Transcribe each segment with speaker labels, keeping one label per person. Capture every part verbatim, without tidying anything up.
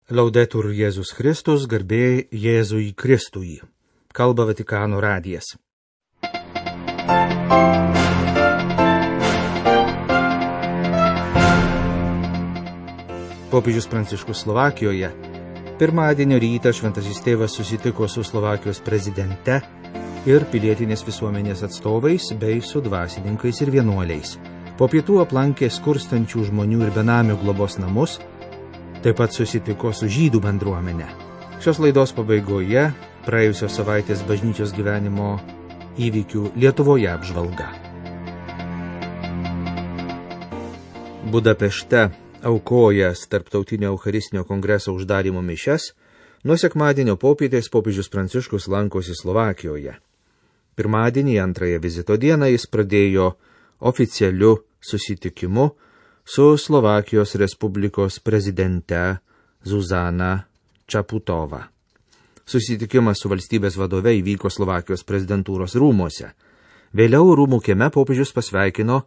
Speaker 1: Laudetur Jėzus Kristus, garbė Jėzui Kristui. Kalba Vatikano radijas. Popiežius Pranciškus Slovakijoje. Pirmadienio rytą šventasis tėvas susitiko su Slovakijos prezidente ir pilietinės visuomenės atstovais bei su dvasininkais ir vienuoliais. Po pietų aplankė skurstančių žmonių ir benamių globos namus, taip pat susitiko su žydų bendruomenė. Šios laidos pabaigoje praėjusios savaitės bažnyčios gyvenimo įvykių Lietuvoje apžvalga. Budapešte aukojęs Tarptautinio Eucharistinio kongreso uždarymo mišias, nuo sekmadienio popietės popiežius Pranciškus lankosi Slovakijoje. Pirmadienį, antrąją vizito dieną, jis pradėjo oficialiu susitikimu su Slovakijos Respublikos prezidente Zuzana Čaputova. Susitikimas su valstybės vadove įvyko Slovakijos prezidentūros rūmuose. Vėliau rūmų kieme popiežius pasveikino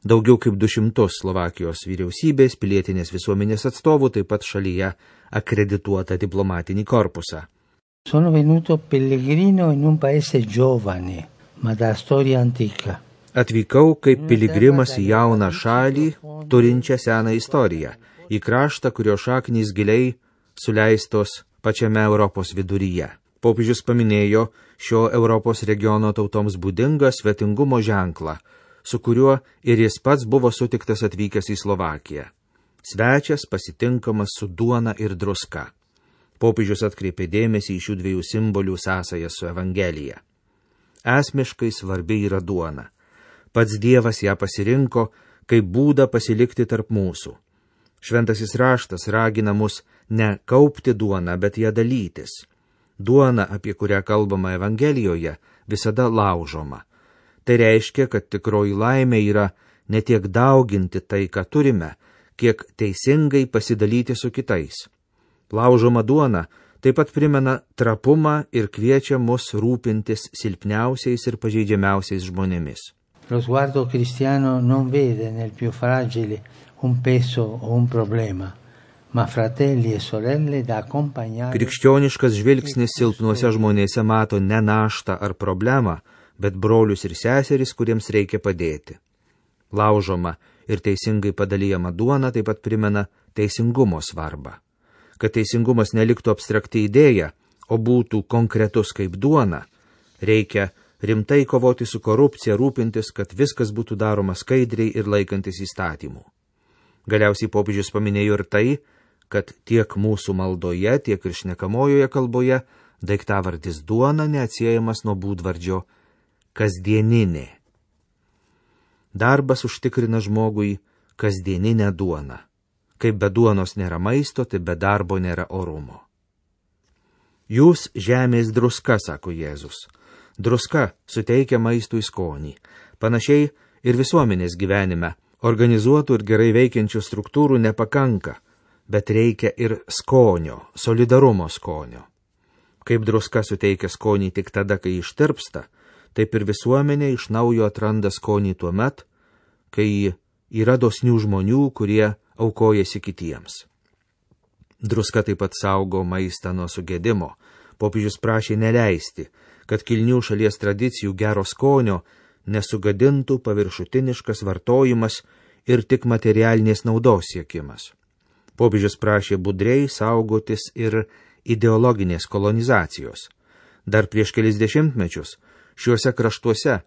Speaker 1: daugiau kaip du šimtus Slovakijos vyriausybės, pilietinės visuomenės atstovų, taip pat šalyje akredituotą diplomatinį korpusą.
Speaker 2: Sono venuto pellegrino in un paese giovane, ma da storia antica.
Speaker 1: Atvykau kaip piligrimas į jauną šalį, turinčią seną istoriją, į kraštą, kurio šaknys giliai suleistos pačiame Europos viduryje. Popiežius paminėjo šio Europos regiono tautoms būdingą svetingumo ženklą, su kuriuo ir jis pats buvo sutiktas atvykęs į Slovakiją. Svečias pasitinkamas su duona ir druska. Popiežius atkreipė dėmesį į šių dviejų simbolių sąsajas su Evangelija. Esmiškai svarbi yra duona. Pats Dievas ją pasirinko kaip būdą pasilikti tarp mūsų. Šventasis raštas ragina mus ne kaupti duoną, bet ją dalytis. Duona, apie kurią kalbama Evangelijoje, visada laužoma. Tai reiškia, kad tikroji laimė yra ne tiek dauginti tai, ką turime, kiek teisingai pasidalyti su kitais. Laužoma duona taip pat primena trapumą ir kviečia mus rūpintis silpniausiais ir pažeidžiamiausiais žmonėmis.
Speaker 2: Lo sguardo cristiano non vede nel più fragile un peso o un problema, ma fratelli e sorelle da accompagnare.
Speaker 1: Krikščioniškas žvilgsnis silpnuose žmonėse mato ne naštą ar problemą, bet brolius ir seseris, kuriems reikia padėti. Laužoma ir teisingai padalijama duona taip pat primena teisingumo svarbą. Kad teisingumas neliktų abstrakti idėja, o būtų konkretus kaip duona, reikia rimtai kovoti su korupcija, rūpintis, kad viskas būtų daroma skaidriai ir laikantis įstatymų. Galiausiai popiežius paminėjo ir tai, kad tiek mūsų maldoje, tiek ir šnekamojoje kalboje daiktavardis duona neatsiejamas nuo būdvardžio kasdieninė. Darbas užtikrina žmogui kasdieninę duoną. Kaip be duonos nėra maisto, tai be darbo nėra orumo. Jūs žemės druska, sako Jėzus. Druska suteikia maistui skonį. Panašiai ir visuomenės gyvenime organizuotų ir gerai veikiančių struktūrų nepakanka, bet reikia ir skonio, solidarumo skonio. Kaip druska suteikia skonį tik tada, kai ištirpsta, taip ir visuomenė iš naujo atranda skonį tuo met, kai yra dosnių žmonių, kurie aukojasi kitiems. Druska taip pat saugo maistą nuo sugedimo. Popiežius prašė neleisti, kad kilnių šalies tradicijų gero skonio nesugadintų paviršutiniškas vartojimas ir tik materialinės naudos siekimas. Popiežius prašė budriai saugotis ir ideologinės kolonizacijos. Dar prieš kelis dešimtmečius šiuose kraštuose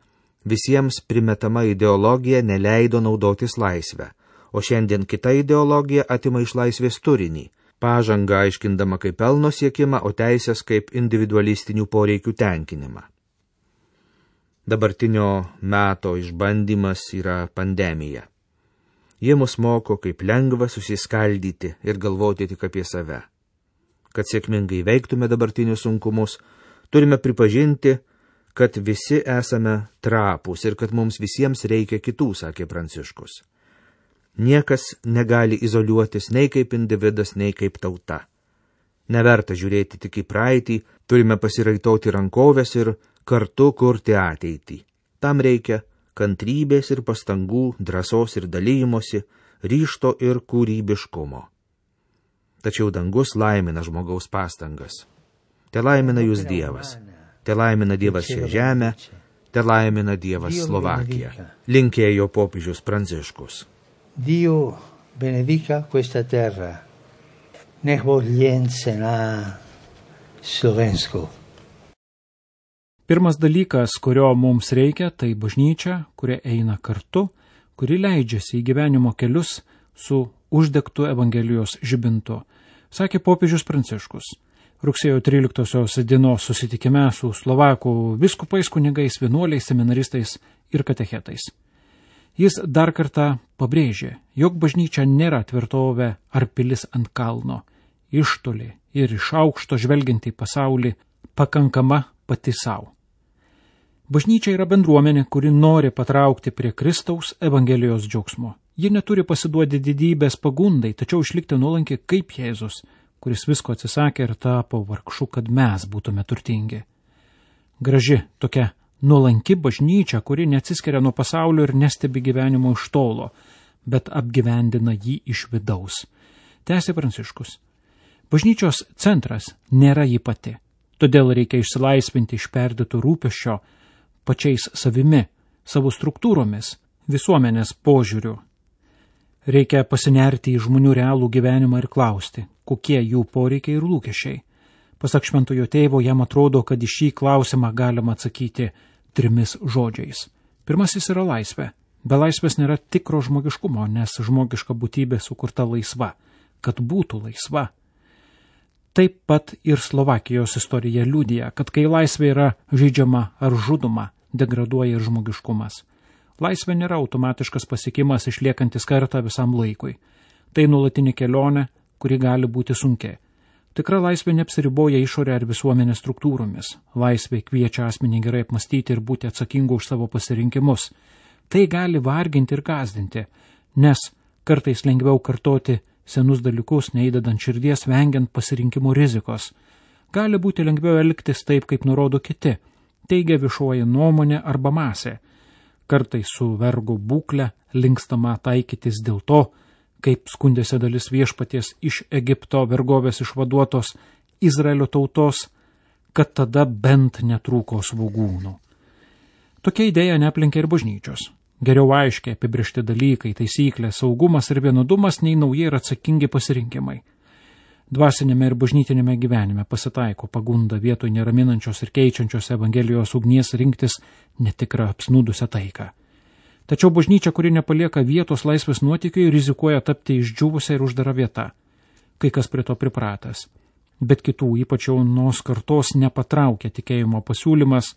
Speaker 1: visiems primetama ideologija neleido naudotis laisvę, o šiandien kita ideologija atima iš laisvės turinį, pažangą aiškindama kaip pelno siekimą, o teisės kaip individualistinių poreikių tenkinimą. Dabartinio meto išbandymas yra pandemija. Jie mus moko, kaip lengva susiskaldyti ir galvoti tik apie save. Kad sėkmingai veiktume dabartinius sunkumus, turime pripažinti, kad visi esame trapūs ir kad mums visiems reikia kitų, sakė Pranciškus. Niekas negali izoliuotis nei kaip individas, nei kaip tauta. Neverta žiūrėti tik į praeitį, turime pasiraitoti rankovės ir kartu kurti ateitį. Tam reikia kantrybės ir pastangų, drąsos ir dalymosi, ryžto ir kūrybiškumo. tačiau dangus laimina žmogaus pastangas. Te laimina jūs Dievas, te laimina Dievas šią žemę, te laimina Dievas Slovakiją, linkėjo popiežius Pranciškus.
Speaker 2: Dio benedica questa terra, nech vogliense na Slovensko.
Speaker 3: Pirmas dalykas, kurio mums reikia, tai bažnyčia, kuria eina kartu, kuri leidžiasi į gyvenimo kelius su uždegtu Evangelijos žibintu, sakė popiežius Pranciškus. Rugsėjo tryliktosios dienos susitikime su Slovakų vyskupais, kunigais, vienuoliais, seminaristais ir katechetais. Jis dar kartą pabrėžė, jog bažnyčia nėra tvirtovė ar pilis ant kalno, iš toli ir iš aukšto žvelgiant į pasaulį, pakankama pati savo. Bažnyčia yra bendruomenė, kuri nori patraukti prie Kristaus Evangelijos džiaugsmo. Ji neturi pasiduoti didybės pagundai, tačiau išlikti nuolanki kaip Jėzus, kuris visko atsisakė ir tapo vargšu, kad mes būtume turtingi. Graži tokia nuolanki bažnyčia, kuri neatsiskiria nuo pasaulio ir nestebi gyvenimo iš tolo, bet apgyvendina jį iš vidaus. Tęsė Pranciškus. Bažnyčios centras nėra ji pati, todėl reikia išsilaisvinti iš perdėto rūpesčio pačiais savimi, savo struktūromis, visuomenės požiūriu. Reikia pasinerti į žmonių realų gyvenimą ir klausti, kokie jų poreikiai ir lūkesčiai. Pasak šventojo tėvo, jam atrodo, kad į šį klausimą galima atsakyti trimis žodžiais. Pirmasis yra laisvė. Be laisvės nėra tikro žmogiškumo, nes žmogiška būtybė sukurta laisva, kad būtų laisva. Taip pat ir Slovakijos istorija liudija, kad kai laisvė yra žaidžiama ar žudoma, degraduoja ir žmogiškumas. Laisvė nėra automatiškas pasiekimas išliekantis kartą visam laikui. Tai nuolatinė kelionė, kuri gali būti sunki. Tikra laisvė neapsiriboja išorę ar visuomenės struktūromis. Laisvė kviečia asmenį gerai apmastyti ir būti atsakingu už savo pasirinkimus. Tai gali varginti ir gąsdinti, nes kartais lengviau kartoti senus dalykus, neįdedant širdies, vengiant pasirinkimų rizikos. Gali būti lengviau elgtis taip, kaip nurodo kiti, teigia viešoji nuomonė arba masė. Kartais su vergo būkle linkstama taikytis dėl to, kaip skundėsi dalis viešpaties iš Egipto vergovės išvaduotos Izraelio tautos, kad tada bent netrūko svogūnų. Tokia idėja neaplenkia ir bažnyčios. Geriau aiškiai apibrėžti dalykai, taisyklės, saugumas ir vienodumas nei nauji ir atsakingi pasirinkimai. Dvasinėme ir bažnytinėme gyvenime pasitaiko pagunda vietoj neraminančios ir keičiančios Evangelijos ugnies rinktis netikrą apsnūdusią taiką. Tačiau bažnyčia, kuri nepalieka vietos laisvės nuotykiui, rizikuoja tapti išdžiūvusią ir uždarą vietą. Kai kas prie to pripratęs. Bet kitų, ypač jaunos kartos, nepatraukia tikėjimo pasiūlymas,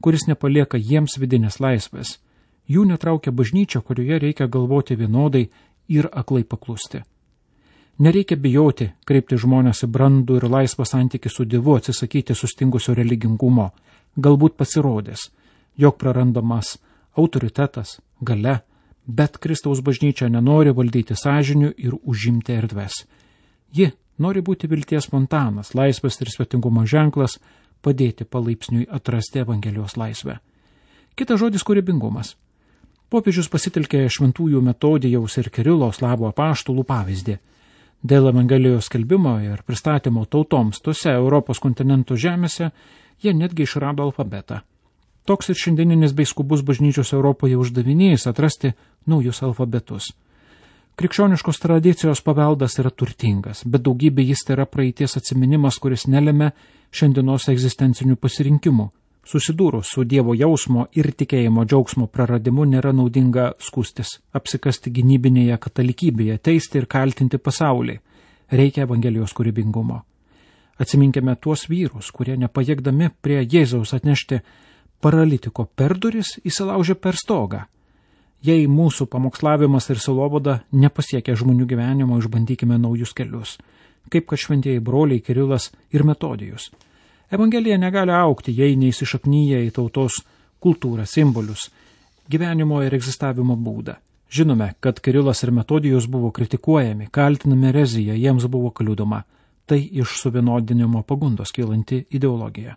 Speaker 3: kuris nepalieka jiems vidinės laisvės. Jų netraukia bažnyčia, kurioje reikia galvoti vienodai ir aklai paklusti. Nereikia bijoti kreipti žmonės į brandų ir laisvą santykį su Dievu, atsisakyti sustingusio religingumo. Galbūt pasirodės, jog prarandamas autoritetas, galia, bet Kristaus bažnyčia nenori valdyti sąžinių ir užimti erdves. Ji nori būti vilties fontanas, laisvės ir svetingumo ženklas, padėti palaipsniui atrasti Evangelijos laisvę. Kitas žodis – kūrybingumas. Popiežius pasitelkė šventųjų Metodijaus ir Kirilo Slavų apaštalų pavyzdį. Dėl Evangelijos skelbimo ir pristatymo tautoms tose Europos kontinento žemėse jie netgi išrado alfabetą. Toks ir šiandieninis bei skubus bažnyčios Europoje uždavinys atrasti naujus alfabetus. Krikščioniškos tradicijos paveldas yra turtingas, bet daugybė jis yra praeities atsiminimas, kuris nelėmė šiandienos egzistencinių pasirinkimų. Susidūrus su Dievo jausmo ir tikėjimo džiaugsmo praradimu nėra naudinga skūstis, apsikasti gynybinėje katalikybėje, teisti ir kaltinti pasaulį. Reikia Evangelijos kūrybingumo. Atsiminkime tuos vyrus, kurie nepajėgdami prie Jėzaus atnešti paralitiko per duris įsilaužė per stogą. Jei mūsų pamokslavimas ir sielovada nepasiekia žmonių gyvenimo, išbandykime naujus kelius, kaip kad šventieji broliai Kirilas ir Metodijus. Evangelija negali aukti, jei neįsišaknyja į tautos kultūrą, simbolius, gyvenimo ir egzistavimo būdą. Žinome, kad Kirilas ir Metodijus buvo kritikuojami, kaltinami erezija, jiems buvo kliudoma. Tai iš suvienodinimo pagundos kylanti ideologija.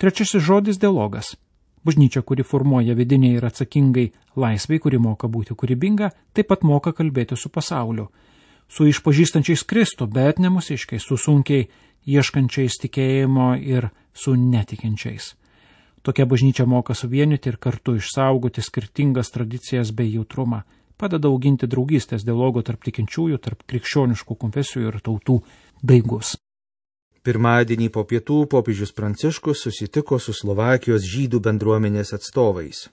Speaker 3: Trečiasis žodis – dialogas. Bažnyčia, kuri formuoja vidiniai ir atsakingai laisvai, kuri moka būti kūrybinga, taip pat moka kalbėti su pasauliu. su išpažįstančiais Kristų, bet ne mūsiškiais, su sunkiai ieškančiais tikėjimo ir su netikinčiais. Tokia bažnyčia moka suvienyti ir kartu išsaugoti skirtingas tradicijas bei jautrumą, padeda auginti draugystės dialogo tarp tikinčiųjų, tarp krikščioniškų konfesijų ir tautų daigus.
Speaker 1: Pirmadienį po pietų popiežius Pranciškus susitiko su Slovakijos žydų bendruomenės atstovais.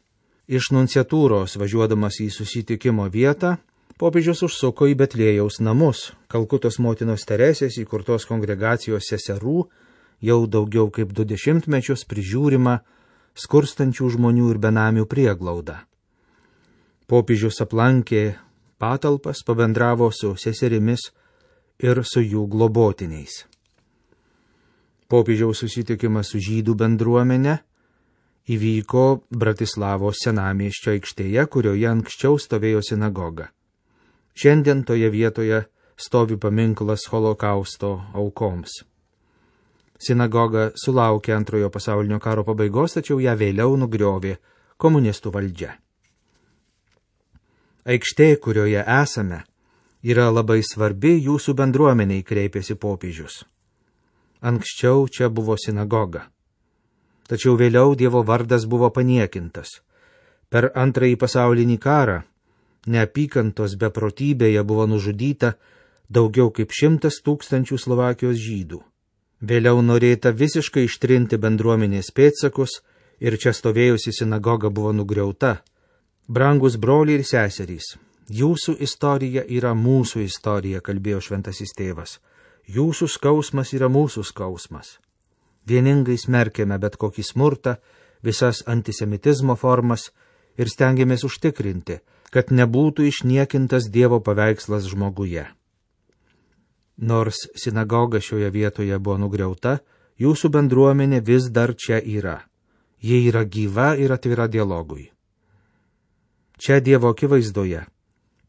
Speaker 1: Iš nunciatūros važiuodamas į susitikimo vietą, popiežius užsuko į Betliejaus namus, Kalkutos motinos Teresės įkurtos kongregacijos seserų, jau daugiau kaip du dešimtmečius prižiūrima skurstančių žmonių ir benamių prieglauda. Popiežius aplankė patalpas, pabendravo su seserimis ir su jų globotiniais. Popiežiaus susitikimas su žydų bendruomene įvyko Bratislavos senamiesčio aikštėje, kurioje anksčiau stovėjo sinagoga. Šiandien toje vietoje stovi paminklas holokausto aukoms. Sinagoga sulaukė antrojo pasaulinio karo pabaigos, tačiau ją vėliau nugriovė komunistų valdžia. Aikštė, kurioje esame, yra labai svarbi jūsų bendruomeniai, kreipėsi popiežius. Anksčiau čia buvo sinagoga. Tačiau vėliau Dievo vardas buvo paniekintas. Per antrąjį pasaulinį karą neapykantos beprotybėje buvo nužudyta daugiau kaip šimtas tūkstančių Slovakijos žydų. Vėliau norėta visiškai ištrinti bendruomenės pėdsakus ir čia stovėjusi sinagoga buvo nugriauta. Brangus broliai ir seserys, jūsų istorija yra mūsų istorija, kalbėjo šventasis tėvas. Jūsų skausmas yra mūsų skausmas. Vieningai smerkėme bet kokį smurtą, visas antisemitizmo formas ir stengiamės užtikrinti, kad nebūtų išniekintas Dievo paveikslas žmoguje. Nors sinagoga šioje vietoje buvo nugriauta, jūsų bendruomenė vis dar čia yra. Ji yra gyva ir atvira dialogui. Čia Dievo akivaizdoje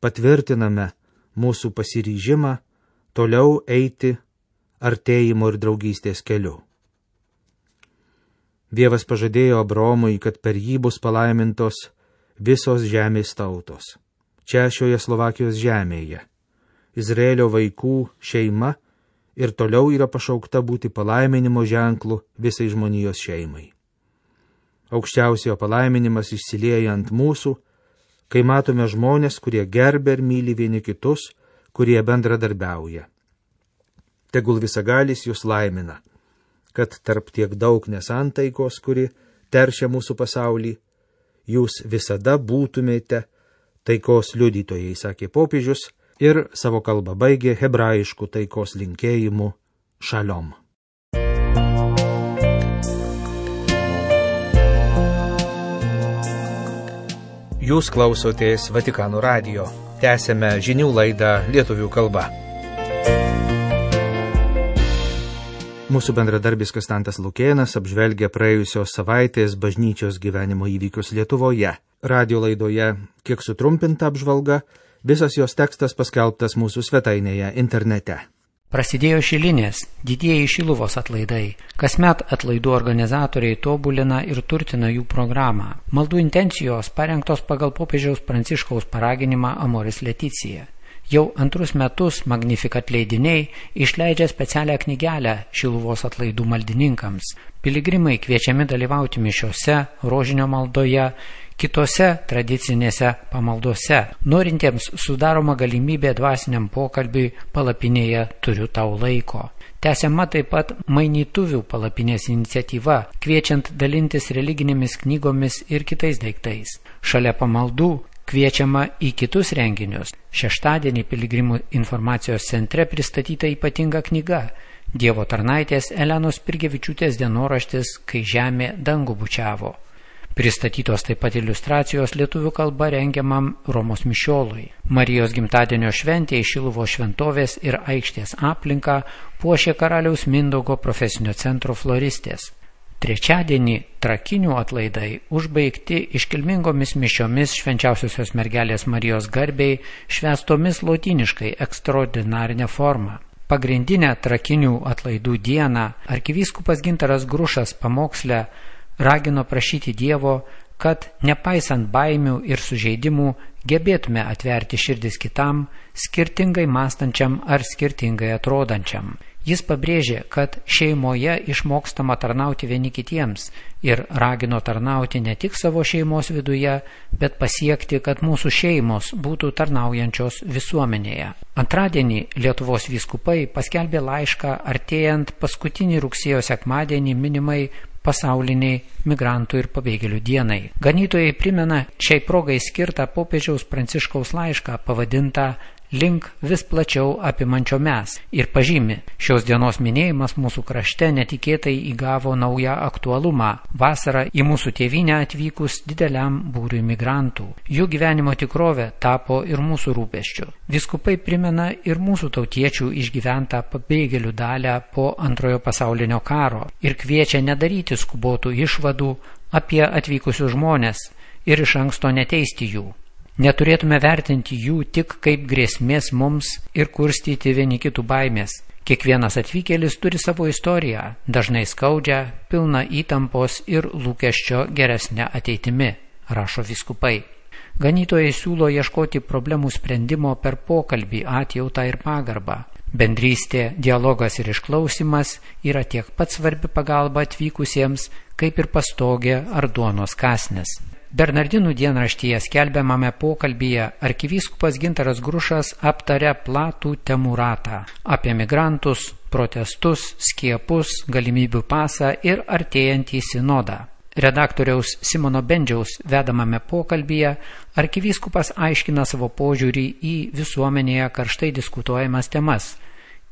Speaker 1: patvirtiname mūsų pasiryžimą toliau eiti artėjimo ir draugystės keliu. Dievas pažadėjo Abraomui, kad per jį bus palaimintos visos žemės tautos. Čia šioje Slovakijos žemėje Izraelio vaikų šeima ir toliau yra pašaukta būti palaiminimo ženklu visai žmonijos šeimai. Aukščiausiojo palaiminimas išsilieja ant mūsų, kai matome žmonės, kurie gerbia ir myli vieni kitus, kurie bendradarbiauja. Tegul visagalis jūs laimina, kad tarp tiek daug nesantaikos, kuri teršia mūsų pasaulį, jūs visada būtumėte taikos liudytojai, sakė popiežius, ir savo kalbą baigė hebrajiškų taikos linkėjimu šalom. Jūs klausotės Vatikano radijo. Tęsėme žinių laidą lietuvių kalba. Mūsų bendradarbis Konstantas Lukėnas apžvelgia praėjusios savaitės bažnyčios gyvenimo įvykius Lietuvoje. Radio laidoje kiek sutrumpinta apžvalga, visas jos tekstas paskelbtas mūsų svetainėje internete.
Speaker 4: Prasidėjo Šilinės, didieji Šiluvos atlaidai. Kasmet atlaidų organizatoriai tobulina ir turtina jų programą. Maldų intencijos parengtos pagal popiežiaus Pranciškaus paraginimą Amoris Leticija. Jau antrus metus Magnificat leidiniai išleidžia specialią knygelę Šiluvos atlaidų maldininkams. Piligrimai kviečiami dalyvauti mišiose, rožinio maldoje, kitose tradicinėse pamaldose. Norintiems sudaroma galimybė dvasiniam pokalbiui palapinėje Turiu tau laiko. Tęsiama taip pat mainytuvių palapinės iniciatyva, kviečiant dalintis religinėmis knygomis ir kitais daiktais. Šalia pamaldų kviečiama į kitus renginius. Šeštadienį Piligrimų informacijos centre pristatyta ypatinga knyga Dievo tarnaitės Elenos Pirgevičiūtės dienoraštis Kai žemė dangų bučiavo. Pristatytos taip pat iliustracijos lietuvių kalba rengiamam Romos mišiolui. Marijos gimtadienio šventėje Šiluvos šventovės ir aikštės aplinką puošė karaliaus Mindaugo profesinio centro floristės. Trečiadienį Trakinių atlaidai užbaigti iškilmingomis mišiomis švenčiausiosios mergelės Marijos garbei švęstomis lotyniškai ekstraordinarinė forma. Pagrindinę Trakinių atlaidų dieną arkivyskupas Gintaras Grušas pamoksle ragino prašyti Dievo, kad nepaisant baimių ir sužeidimų gebėtume atverti širdis kitam, skirtingai mąstančiam ar skirtingai atrodančiam. Jis pabrėžė, kad šeimoje išmokstama tarnauti vieni kitiems ir ragino tarnauti ne tik savo šeimos viduje, bet pasiekti, kad mūsų šeimos būtų tarnaujančios visuomenėje. Antradienį Lietuvos vyskupai paskelbė laišką artėjant paskutinį rugsėjo sekmadienį minimai pasauliniai migrantų ir pabėgėlių dienai. Ganytojai primena šiai progai skirtą popiežiaus Pranciškaus laišką pavadintą Link vis plačiau apimančio mes ir pažymi, šios dienos minėjimas mūsų krašte netikėtai įgavo naują aktualumą vasarą į mūsų tėvynę atvykus dideliam būriui migrantų. Jų gyvenimo tikrovė tapo ir mūsų rūpesčiu. Vyskupai primena ir mūsų tautiečių išgyventą pabėgėlių dalią po antrojo pasaulinio karo ir kviečia nedaryti skubotų išvadų apie atvykusius žmonės ir iš anksto neteisti jų. Neturėtume vertinti jų tik kaip grėsmės mums ir kurstyti vieni kitų baimės. Kiekvienas atvykėlis turi savo istoriją, dažnai skaudžią, pilną įtampos ir lūkesčio geresnę ateitimi, rašo vyskupai. Ganytojai siūlo ieškoti problemų sprendimo per pokalbį, atjautą ir pagarbą. Bendrystė, dialogas ir išklausimas yra tiek pat svarbi pagalba atvykusiems, kaip ir pastogė ar duonos kąsnis. Bernardinų dienraštyje skelbiamame pokalbyje arkivyskupas Gintaras Grušas aptarė platų temų ratą apie migrantus, protestus, skiepus, galimybių pasą ir artėjantį sinodą. Redaktoriaus Simono Bendžiaus vedamame pokalbyje arkivyskupas aiškina savo požiūrį į visuomenėje karštai diskutuojamas temas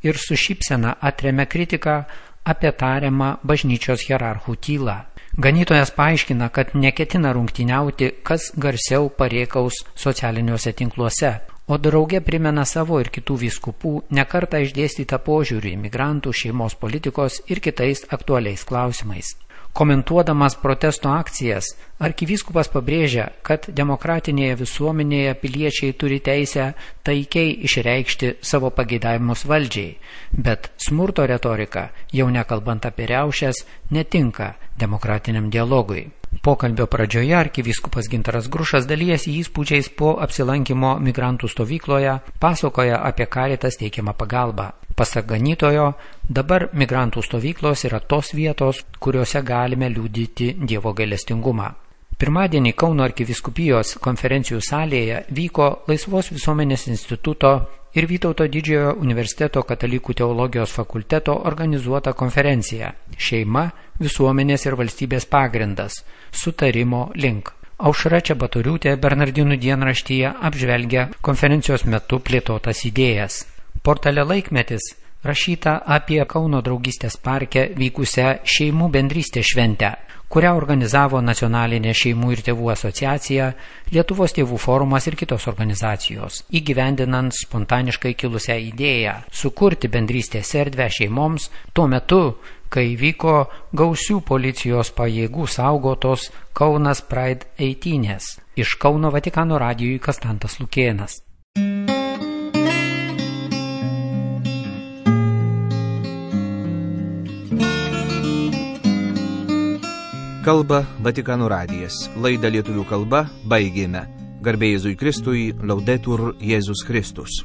Speaker 4: ir su šypsena atremia kritiką apie tariamą bažnyčios hierarchų tylą. Ganytojas paaiškina, kad neketina rungtyniauti, kas garsiau parėkaus socialiniuose tinkluose, o drauge primena savo ir kitų vyskupų nekartą išdėstytą požiūrį į migrantų, šeimos politikos ir kitais aktualiais klausimais. Komentuodamas protesto akcijas, arkivyskupas pabrėžia, kad demokratinėje visuomenėje piliečiai turi teisę taikiai išreikšti savo pageidavimus valdžiai, bet smurto retorika, jau nekalbant apie riaušes, netinka demokratiniam dialogui. Pokalbio pradžioje arkivyskupas Gintaras Grušas dalijasi įspūdžiais po apsilankimo migrantų stovykloje, pasakoja apie Caritas teikiamą pagalbą. Pasak ganytojo, dabar migrantų stovyklos yra tos vietos, kuriuose galime liudyti Dievo gailestingumą. Pirmadienį Kauno arkivyskupijos konferencijų salėje vyko Laisvos visuomenės instituto ir Vytauto didžiojo universiteto katalikų teologijos fakulteto organizuota konferencija Šeima, visuomenės ir valstybės pagrindas – sutarimo link. Aušra Čebatoriūtė Bernardinų dienraštyje apžvelgia konferencijos metu plėtotas idėjas. Portale Laikmetis rašyta apie Kauno draugystės parke vykusią šeimų bendrystės šventę, kurią organizavo Nacionalinė šeimų ir tėvų asociacija, Lietuvos tėvų forumas ir kitos organizacijos, įgyvendinant spontaniškai kilusią idėją sukurti bendrystės erdvę šeimoms tuo metu, kai vyko gausių policijos pajėgų saugotos Kaunas Pride eitynės. Iš Kauno Vatikano radijui Kastantas Lukėnas.
Speaker 1: Kalba Vatikano radijas. Laidą lietuvių kalba baigėme. Garbė Jėzui Kristui, Laudetur Jėzus Kristus.